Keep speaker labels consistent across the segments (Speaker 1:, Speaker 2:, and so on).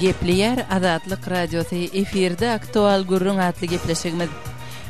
Speaker 1: Gepleýär Azatlyk Radiosy, efirde Aktual gürrüň atly gepleşigimiz.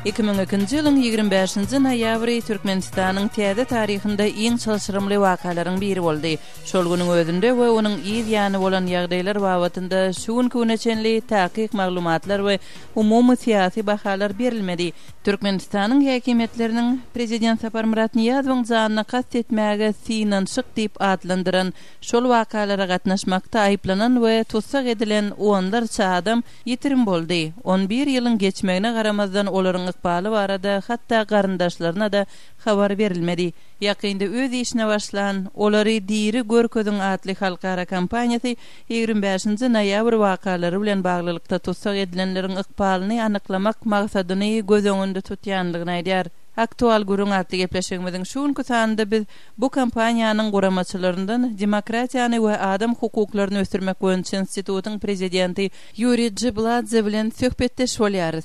Speaker 1: 2002-nji ýylyň 25-nji noýabry Türkmenistanyň täze taryhynda iň çylşyrymly wakalaryň biri boldy. Şol günüň özünde we onuň yz ýany bolan ýagdaýlar babatynda şu günki güne çenli takyk maglumatlar we umumy syýasy bahalar berilmedi. Türkmenistanyň häkimiýetleriniň prezident Saparmyrat Nyýazowyň janyna kast etmäge synanyşyk diýip atlandyran şol wakalara gatnaşmakda aýyplanan we tussag edilen onlarça adam ýitirim boldy. On bir ýylyň geçmegine garamazdan olaryň ykbaly barada hatda garyndaşlaryna-da habar berilmedi. Ýakynda öz işine başlan Olary diri görkeziň atly halkara kampaniýasy 25-nji noýabr wakalary bilen baglylykda tussag edilenleriň ykbalyny anyklamak maksadyny göz öňünde tutýandygyny aýdýar. Aktual gürrüň atly gepleşigimiziň şu günki sanynda biz bu kampaniýanyň guramaçylaryndan Demokratiýany we adam hukuklaryny ösdürmek boýunça institutyň prezidenti Ýuriý Jibladze bilen söhbetdeş bolýarys.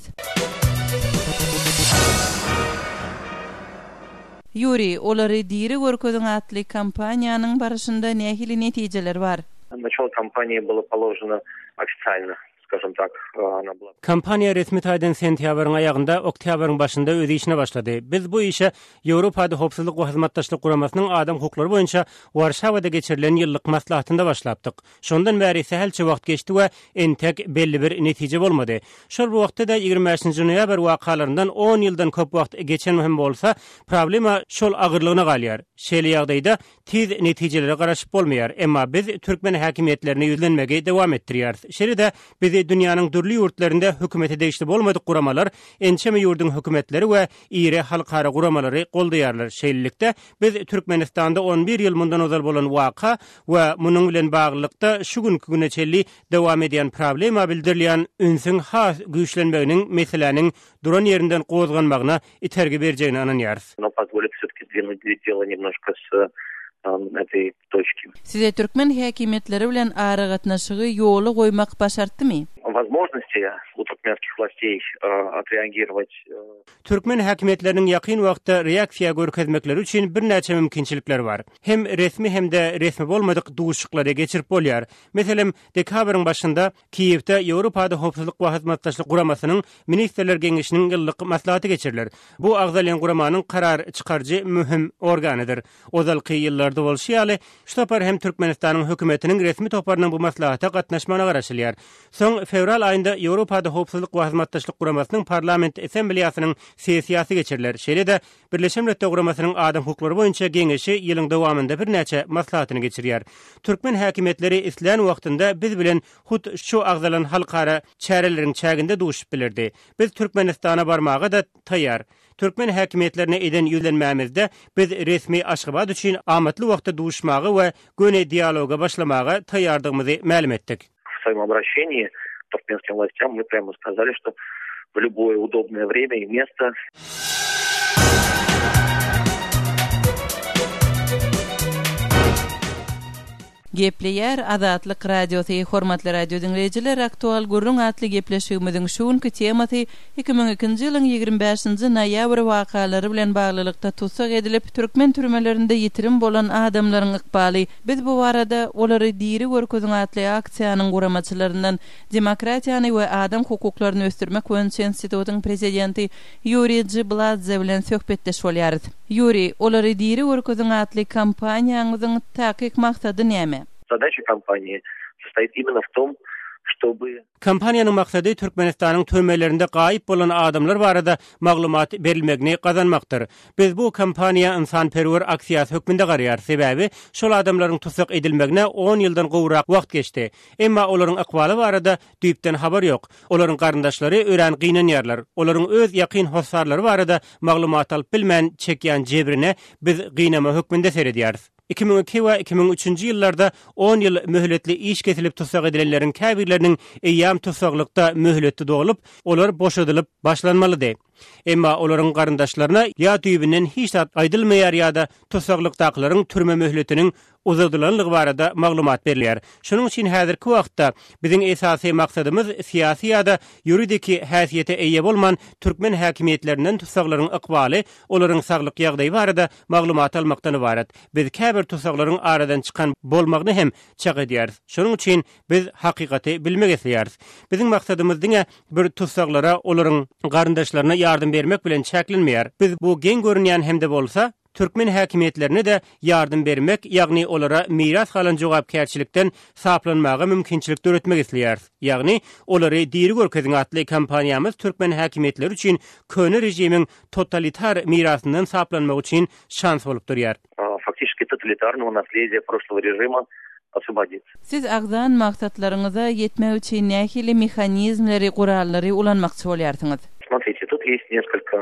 Speaker 1: Ýuriý, Olary diri görkeziň atly kampaniýanyň barşynda nähili netijeler bar?
Speaker 2: Naçalo kampaniýa bylo položeno ofisialno, skažem tak, ona byla.
Speaker 3: Kampaniýa resmi taýdan sentýabryň aýagynda, oktýabryň başynda öz işine başlady. Biz bu işe Ýewropada Howpsuzlyk we Hyzmatdaşlyk Guramasynyň adam hukuklary boýunça Warşawada geçirilen ýyllyk maslahatynda başlapdyk. Şondan bäri sähelçe wagt geçdi we entek belli bir netije bolmady. Şol bir wagtda-da 25-nji noýabr wakalaryndan on ýyldan köp wagt geçen hem bolsa, problema şol agyrlygyna galýar. Şeýle ýagdaýda tiz netijelere garaşyp bolmaýar. Emma biz türkmen häkimiýetlerine ýüzlenmegi dowam etdirýäris. Şeýle-de bizi dünýäniň dürli ýurtlarynda hökümete degişli bolmadyk guramalar, ençeme ýurduň hökümetleri we iri halkara guramalary goldaýarlar. Şeýlelikde, biz Türkmenistanda on bir ýyl mundan ozal bolan waka we munuň bilen baglylykda şu günki güne çenli dowam edýän problema bildirilýän ünsüň has güýçlenmeginiň meseläniň duran ýerinden gozganmagyna itergi berjegine ynanýarys.
Speaker 1: Size türkmen häkimiýetleri bilen aragatnaşygy ýola goýmak başartdymy?
Speaker 3: Türkmen häkimiýetleriniň ýakyn wagtda reaksiýa görkezmekleri üçin birnäçe mümkinçilikler bar. Hem resmi hem-de resmi bolmadyk duşuşyklary geçirip bolýar. Meselem, dekabryň başynda Kiýewde Ýewropada Howpsuzlyk we Hyzmatdaşlyk Guramasynyň Ministrler Geňeşiniň ýyllyk maslahaty geçiriler. Bu agzalýan guramanyň karar çykaryjy möhüm organydyr. Ozalky ýyllarda bolşy ýaly, şu sapar hem Türkmenistanyň hökümetiniň resmi toparynyň bu maslahata gatnaşmagyna garaşylýar. Soň fewral aýynda Ýewropada Howpsuzlyk we Hyzmatdaşlyk Guramasynyň Parlament Assambleýasynyň sessiýasy geçiriler. Şeýle-de, Birleşen Milletler Guramasynyň Adam hukuklary boýunça Geňeşi ýylyň dowamynda birnäçe maslahatyny geçirýär. Türkmen häkimiýetleri islän wagtynda biz bilen hut şu agzalan halkara çäreleriň çäginde duşup bilerdi. Biz Türkmenistana barmaga-da taýýar. Türkmen häkimiýetlerine eden ýüzlenmämizde biz resmi Aşgabat üçin amatly wagtda duşmaga we göni dialoga başlamaga taýýardygymyzy mälim etdik.
Speaker 2: W swoim obraşeniýi turkmenskim wlastýam my prýamo skazali, şto w lýuboe udobnoe wremýa i mesto.
Speaker 1: Gepleýär Azatlyk Radiosy, Hormatly radio diňleýjiler, Aktual gürrüň atly gepleşigimiziň şu günki temasy 2002-nji ýylyň 25-nji noýabr wakalary bilen baglylykda tussag edilip, türkmen türmelerinde ýitirim bolan adamlaryň ykbaly. Biz bu barada Olary diri görkeziň atly aksiýanyň guramaçylaryndan Demokratiýany we adam hukuklaryny ösdürmek boýunça institutyň prezidenti Ýuriý Jibladze bilen söhbetdeş bolýarys. Ýuriý, Olary diri görkeziň atly kampaniýaňyzyň takyk maksady näme?
Speaker 2: Zadaça kampaniýi sostoit imенно w tom, ştoby.
Speaker 3: Kampaniýanyň maksady Türkmenistanyň türmelerinde gaýyp bolan adamlar barada maglumat berilmegini gazanmakdyr. Biz bu kampaniýa ynsanperwer aksiýasy hökmünde garaýarys, sebäbi şol adamlaryň tussag edilmegine on ýyldan gowrak wagt geçdi. Emma olaryň ykbaly barada düýpden habar ýok. Olaryň garyndaşlary örän gynanýarlar. Olaryň öz ýakyn hossarlary barada maglumat alyp bilmän çekýän jebrine biz gynama hökmünde seredýäris. 2002 we 2003-nji ýyllarda on ýyl möhletli iş kesilip tussag edilenleriň käbirleriniň eýýäm tussaglykda möhleti dolup, olar boşadylyp başlanmalydy. Emma olaryň garyndaşlaryna ýa düýbünden hiç zat aýdylmaýar ýa-da tussaglykdakylaryň türme möhletiniň uzadylanlygy barada maglumat berilýär. Şonuň üçin häzirki wagtda biziň esasy maksadymyz syýasy ýa-da ýuridiki häsiýete eýe bolman türkmen häkimiýetlerinden tussaglaryň ykbaly, olaryň saglyk ýagdaýy barada maglumat almakdan ybarat. Biz käbir tussaglaryň aradan çykan bolmagyny hem çak edýäris. Şonuň üçin biz hakykaty bilmek isleýäris. Biziň maksadymyz diňe bir tussaglara, olaryň garyndaşlaryna ýardam bermek bilen çäklenmeýär. Biz bu geň görünýän hem-de bolsa, türkmen häkimiýetlerine-de ýardam bermek, ýagny olara miras galan jogapkärçilikden saplanmaga mümkinçilik döretmek isleýäris. Ýagny, Olary diri görkeziň atly kampaniýamyz türkmen häkimiýetleri üçin köne režimiň totalitar mirasyndan saplanmak üçin şans bolup durýar.
Speaker 2: Faktiçeski totalitarnogo naslediýa proşlogo režima oswobodits.
Speaker 1: Siz agzan maksatlaryňyza ýetmek üçin nähili mehanizmleri, gurallary ulanmakçy bolýarsyňyz?
Speaker 2: Smotrite, tut ýest neskolko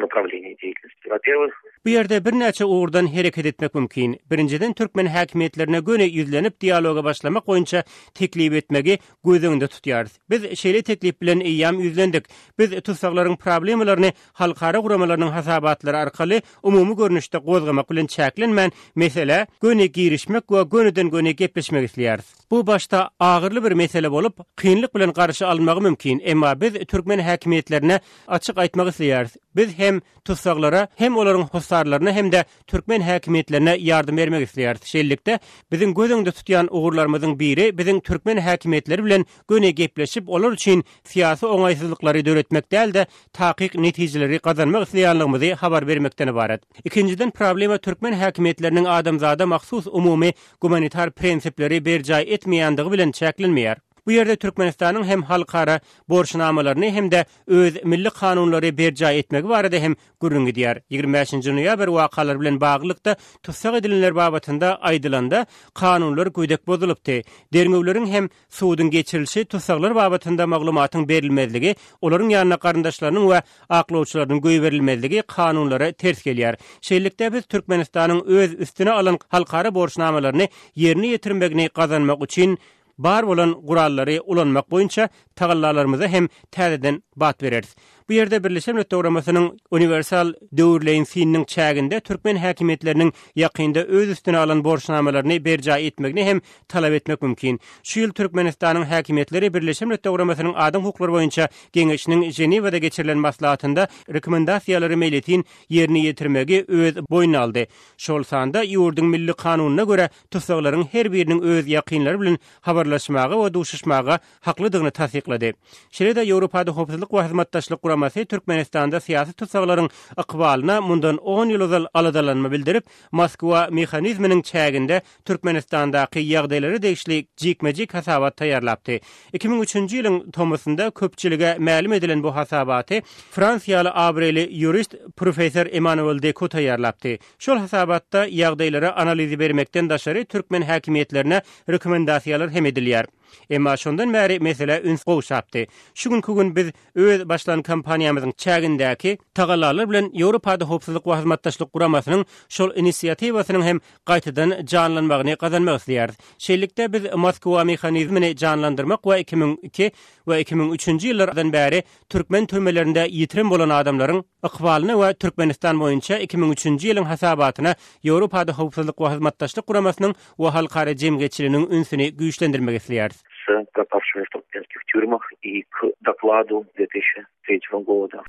Speaker 2: naprawleniý deýatelnosti. Wo-perwih.
Speaker 3: Bu ýerde birnäçe ugurdan hereket etmek mümkin. Birinjiden, türkmen häkimiýetlerine göni ýüzlenip dialoga başlamak boýunça teklip etmegi göz öňünde tutýarys. Biz şeýle teklip bilen eýýäm ýüzlendik. Biz tussaglaryň problemalaryny halkara guramalarynyň hasabatlary arkaly umumy görnüşde gozgamak bilen çäklenmän, meselä göni girişmek we gönüden-göni gepleşmek isleýäris. Bu başda agyrly bir mesele bolup, kynlyk bilen garşy alynmagy mümkin, emma biz türkmen häkimiýetlerine açyk aýtmak isleýäris, biz hem tussaglara, hem olaryň hossarlaryna hem-de türkmen häkimiýetlerine ýardam bermek isleýäris. Şeýlelikde, biziň göz öňünde tutýan ugurlarymyzyň biri biziň türkmen häkimiýetleri bilen göni gepleşip, olar üçin syýasy oňaýsyzlyklary döretmek däl-de, takyk netijeleri gazanmak isleýänligimizi habar bermekden ybarat. Ikinjiden, problema türkmen häkimiýetleriniň adamzada mahsus umumy gumanitar prinsipleri berjaý etmeýändigi bilen çäklenmeýär. Bu ýerde Türkmenistanyň hem halkara borçnamalaryny hem-de öz milli kanunlary berjaý etmegi barada hem gürrüň gidýär. 25-nji noýabr wakalary bilen baglylykda tussag edilenler babatynda aýdylanda, kanunlar gödek bozulypdy. Derňewleriň hem Suduň geçirilişi, tussaglar babatynda maglumatyň berilmezligi, olaryň ýanyna garyndaşlarynyň we aklawçylarynyň goýberilmezligi kanunlara ters gelýär. Şeýlelikde, biz Türkmenistanyň öz üstüne alan halkara borçnamalaryny ýerine ýetirmegini gazanmak üçin bar bolan gurallary ulanmak boýunça tagallalarymyza hem täzeden bat bereris. Bu ýerde Birleşen Milletler Guramasynyň Uniwersal döwürleýin synynyň çäginde türkmen häkimiýetleriniň ýakynda öz üstüne alan borçnamalaryny berjaý etmegini hem talap etmek mümkin. Şu ýyl Türkmenistanyň häkimiýetleri Birleşen Milletler Guramasynyň Adam hukuklary boýunça Geňeşiniň Ženewada geçirilen maslahatynda rekomendasiýalary meýletin ýerine ýetirmegi öz boýnuna aldy. Şol sanda ýurduň milli kanunyna görä tussaglaryň her biriniň öz ýakynlary bilen habarlaşmaga we duşuşmaga haklydygyny tassyklady. Şeýle-de Ýewropada Howpsuzlyk we Hyzmatdaşlyk Guramasy Türkmenistanda syýasy tussaglaryň ykbalyna mundan on ýyl ozal aladalanma bildirip, Moskwa mehanizminiň çäginde Türkmenistandaky ýagdaýlara degişli jikme-jik hasabat taýýarlapdy. 2003-nji ýylyň tomusynda köpçülige mälim edilen bu hasabaty fransiýaly abraýly ýurist professor Emmanuel Deku taýýarlapdy. Şol hasabatda ýagdaýlara analizi bermekden daşary türkmen häkimiýetlerine rekomendasiýalar hem edilýär. Emma şondan bäri meselä üns gowşapdy. Şu günki gün biz öz başlan kampaniýamyzyň çägindäki tagallalar bilen Ýewropada Howpsuzlyk we Hyzmatdaşlyk Guramasynyň şol inisiatiwasynyň hem gaýtadan janlanmagyny gazanmak isleýäris. Şeýlelikde, biz Moskwa mehanizmini janlandyrmak we 2002 we 2003-nji ýyllardan bäri türkmen türmelerinde ýitirim bolan adamlaryň ykbalyna we Türkmenistan boýunça 2003-nji ýylyň hasabatyna Ýewropada Howpsuzlyk we Hyzmatdaşlyk Guramasynyň we halkara jemgyýetçiliginiň ünsüni güýçlendirmek isleýäris.
Speaker 2: S пропавшими в туркменских тюрьмах и к докладу 2003 года.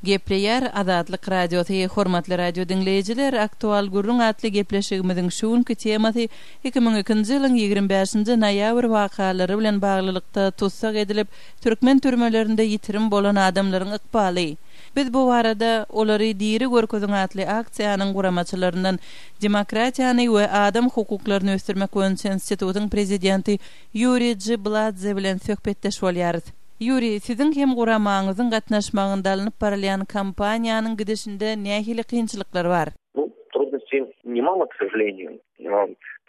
Speaker 1: Gepleýär Azatlyk Radiosy, Hormatly radio diňleýjiler, Aktual gürrüň atly gepleşigimiziň şu günki temasy 2002-nji ýylyň 25-nji noýabr wakalary bilen baglylykda tussag edilip, türkmen türmelerinde ýitirim bolan adamlaryň ykbaly. Biz bu barada Olary diri görkeziň atly aksiýanyň guramaçylaryndan Demokratiýany we adam hukuklaryny ösdürmek boýunça institutyň prezidenti Ýuriý Jibladze bilen söhbetdeş bolýarys. Ýuriý, siziň hem guramaňyzyň gatnaşmagynda alnyp barylýan kampaniýanyň gidişinde nähili kynçylyklar bar?
Speaker 2: Nu, trudnosti nemalo, k sožaleniju.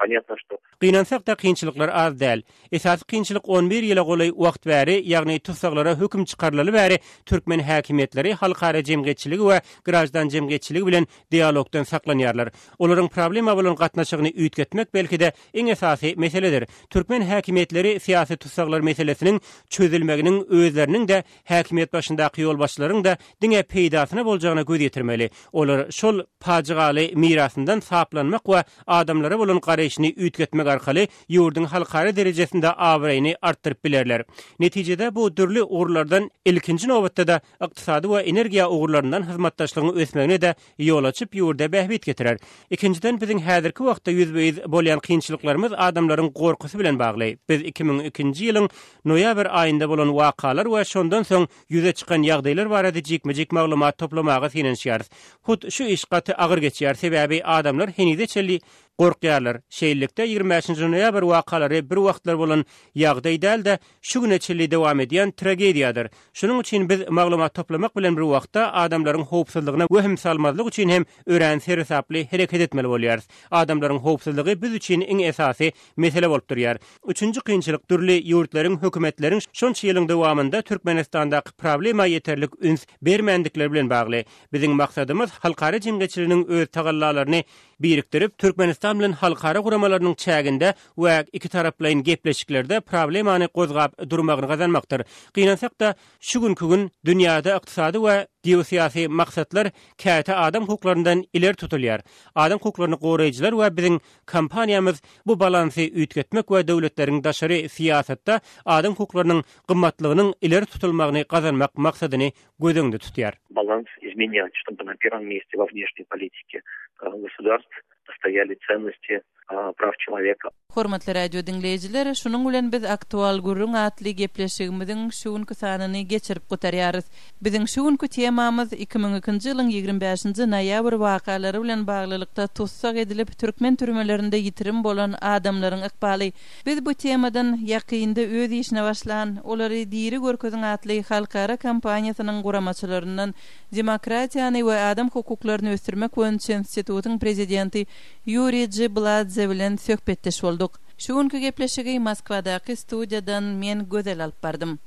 Speaker 2: Понятно, что
Speaker 3: Gynansak-da, kynçylyklar az däl. Esasy kynçylyk on bir ýyla golaý wagt bäri, ýagny tussaglara höküm çykarylaly bäri türkmen häkimiýetleri halkara jemgyýetçiligi we graždan jemgyýetçiligi bilen dialogdan saklanýarlar. Olaryň problema bolan gatnaşygyny üýtgetmek belki-de iň esasy meseledir. Türkmen häkimiýetleri syýasy tussaglar meselesiniň çözülmeginiň özleriniň-de, häkimiýet başyndaky ýolbaşçylaryň-da diňe peýdasyna boljagyna göz ýetirmeli. Olar şol pajygaly mirasyndan saplanmak we adamlara bolan garaýşyny üýtgetmek arkaly ýurduň halkara derejesinde abraýyny artdyryp bilerler. Netijede bu dürli ugurlardan ilkinji nobatda-da ykdysady we energiýa ugurlaryndan hyzmatdaşlygyň ösmegine-de ýol açyp, ýurda bähbit getirer. Ikinjiden, biziň häzirki wagtda ýüzbe-ýüz bolýan kynçylyklarymyz adamlaryň gorkusy bilen bagly. Biz 2002-nji ýylyň noýabr aýynda bolan wakalar we şondan soň ýüze çykan ýagdaýlar barada jikme-jik maglumat toplamaga synanyşýarys. Hut şu iş gaty agyr geçýär, sebäbi adamlar henize çenli gorkýarlar. Şeýlelikde, 25-nji noýabr wakalary bir wagtlar bolan ýagdaý däl-de, şu güne çenli dowam edýän tragediýadyr. Şunuň üçin biz maglumat toplamak bilen bir wagtda adamlaryň howpsuzlygyna wehim salmazlyk üçin hem örän seresaply hereket etmeli bolýarys. Adamlaryň howpsuzlygy biz üçin iň esasy mesele bolup durýar. Üçünji kynçylyk dürli ýurtlaryň, hökümetleriň şonça ýylyň dowamynda Türkmenistandaky problema ýeterlik üns bermändikleri bilen bagly. Biziň maksadymyz halkara jemgyýetçiliginiň öz tagallalaryny birikdirip, Türkmenistan bilen halkara guramalarynyň çäginde we ikitaraplaýyn gepleşiklerde problemany gozgap durmagyny gazanmakdyr. Gynansak-da, şu günki gün dünýäde ykdysady we geosyýasy maksatlar käte adam hukuklaryndan ileri tutulýar. Adam hukuklaryny goraýjylar we biziň kampaniýamyz bu balansy üýtgetmek we döwletleriň daşary syýasatda adam hukuklarynyň gymmatlygynyň ileri tutulmagyny gazanmak maksadyny göz öňünde tutýar.
Speaker 2: Balans izmenýat, ştoby na perwom meste we wneşniý politike gosudarstw stoýali tsennosti praw çeloweka.
Speaker 1: Hormatly radio diňleýjiler, şunuň bilen biz Aktual gürrüň atly gepleşigimiziň şu günki sanyny geçirip gutarýarys. Biziň şu günki temamyz 2002-nji ýylyň 25-nji noýabr wakalary bilen baglylykda tussag edilip, türkmen türmelerinde ýitirim bolan adamlaryň ykbaly. Biz bu temadan ýakynda öz işine başlan Olary diri görkeziň atly halkara kampaniýasynyň guramaçylaryndan Demokratiýany we adam hukuklaryny ösdürmek boýunça institutyň prezidenti Ýuriý Jibladze bilen söhbetdeş bolduk. Şu günki gepleşigi Moskwadaky studiýadan men Gözel alyp bardym.